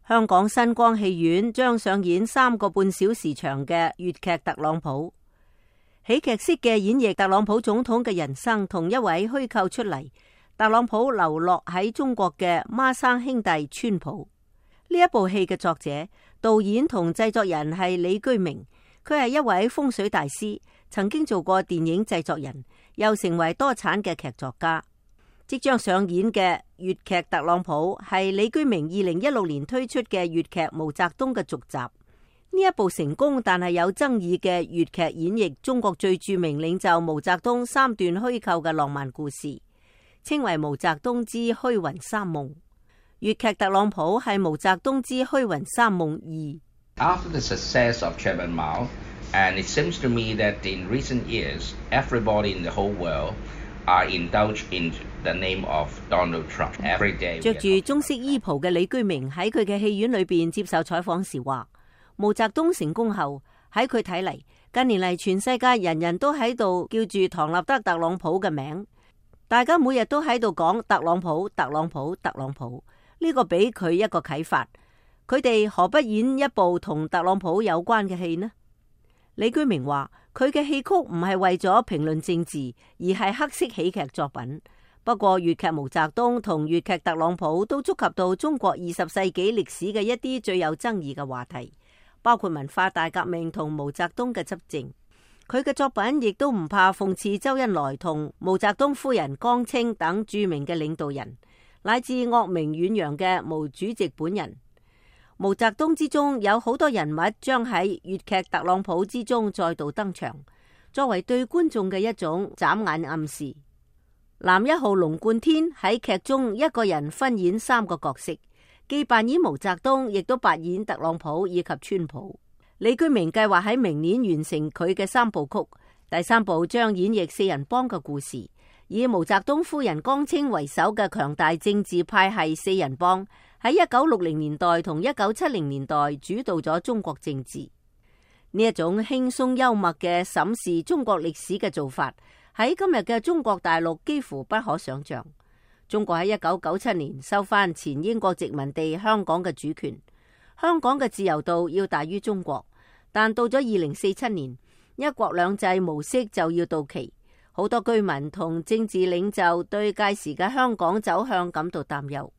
香港新光戲院將上演3個半小時長嘅粵劇《特朗普》，喜劇式嘅演繹特朗普總統嘅人生同一位虛構出嚟特朗普流落喺中國嘅孖生兄弟川普。呢一部戲嘅作者、導演同製作人係李居明，佢係一位風水大師，曾經做過電影製作人，又成為多產嘅劇作家。即將上演嘅粵劇《特朗普》係李居明2016年推出嘅粵劇《毛澤東》嘅續集。呢一部成功但係有爭議嘅粵劇演繹中國最著名領袖毛澤東3段虛構嘅浪漫故事，稱為《毛澤東之虛雲三夢》。粵劇《特朗普》係《毛澤東之虛雲三夢2》。After the success of Chairman Mao, and it seems to me that in recent years, everybody in the whole world are indulged in the name of Donald Trump. Every day. 着住中式衣袍嘅李居明喺佢嘅戲院裏邊接受採訪時話，毛澤東成功後，喺佢睇嚟，近年嚟全世界人人都喺度叫住唐納德特朗普嘅名，大家每日都喺度講特朗普、特朗普、特朗普。呢個俾佢一個啟發，佢哋何不演一部同特朗普有關嘅戲呢？李居明話，佢嘅戲曲唔係為咗評論政治，而係黑色喜劇作品。不過粵劇毛澤東同粵劇特朗普都觸及到中國20世紀歷史嘅一啲最有爭議嘅話題，包括文化大革命同毛澤東嘅執政。佢嘅作品亦都唔怕諷刺周恩來同毛澤東夫人江青等著名嘅領導人，乃至惡名遠揚嘅毛主席本人。毛澤東之中有好多人物將喺粵劇特朗普之中再度登場，作為對觀眾嘅一種眨眼暗示。男1號龍貫天喺劇中一個人分演3個角色，既扮演毛澤東，亦都扮演特朗普以及川普。李居明計劃喺明年完成佢嘅3部曲，第3部將演繹4人幫嘅故事，以毛澤東夫人江青為首嘅強大政治派系4人幫喺1960年代同1970年代主導咗中國政治。呢一種輕鬆幽默嘅審視中國歷史嘅做法，喺今日嘅中國大陸幾乎不可想象。中國喺1997年收翻前英國殖民地香港嘅主權，香港嘅自由度要大於中國，但到咗2047年，一國兩制模式就要到期。好多居民同政治領袖對屆時嘅香港走向感到擔憂。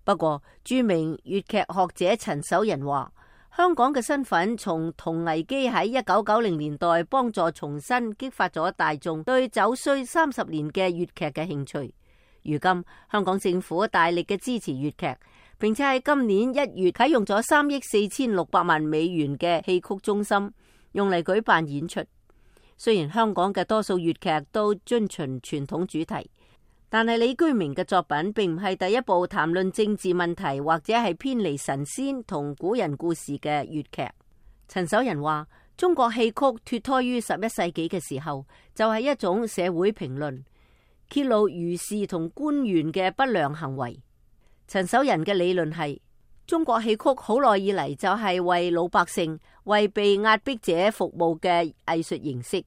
不過，著名粵劇學者陳守仁話，香港嘅身份從銅危機喺1990年代幫助重新激發咗大眾對走衰30年嘅粵劇嘅興趣。如今，香港政府大力嘅支持粵劇，並且喺今年1月啟用咗3億4600萬美元嘅戲曲中心，用嚟舉辦演出。雖然香港嘅多數粵劇都遵循傳統主題，但係李居明嘅作品並唔係第一部談論政治問題或者係偏離神仙同古人故事嘅粵劇。陳守仁話，中國戲曲脫胎於11世紀嘅時候，就係一種社會評論，揭露儒士同官員嘅不良行為。陳守仁嘅理論係，中國戲曲好耐以嚟就係為老百姓、為被壓迫者服務嘅藝術形式，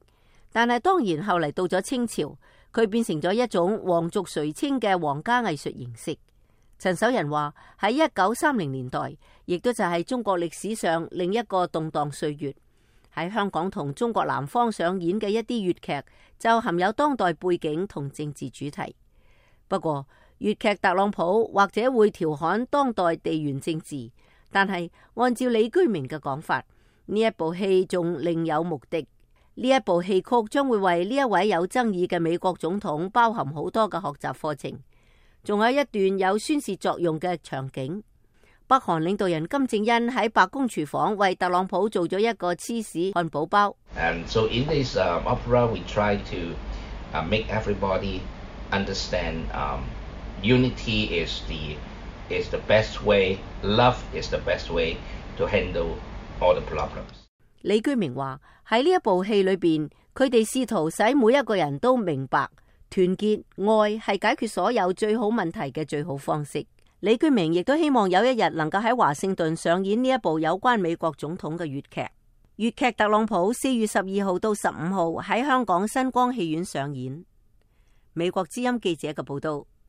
但係當然後嚟到咗清朝，佢變成咗一種皇族垂青嘅皇家藝術形式。陳守仁話，喺1930年代，亦都就係中國歷史上另一個動盪歲月。喺香港同中國南方上演嘅一啲粵劇就含有當代背景同政治主題。不過粵劇特朗普或者會調侃當代地緣政治，但係按照李居明嘅講法，呢一部戲仲另有目的。呢一部戲曲將會為呢一位有爭議嘅美國總統包含好多嘅學習課程，仲有一段有宣示作用嘅場景。北韓領導人金正恩喺白宮廚房為特朗普做咗一個芝士漢堡包。And so in this opera, we try to make everybody understand unity is the best way, love is the best way to handle all the problems. 李居明話，喺呢一部戲裏邊，佢哋試圖使每一個人都明白團結愛係解決所有最好問題嘅最好方式。李居明亦都希望有一日能夠喺華盛頓上演呢一部有關美國總統嘅粵劇。粵劇特朗普4月12號到15號喺香港新光戲院上演。美國之音記者嘅報道。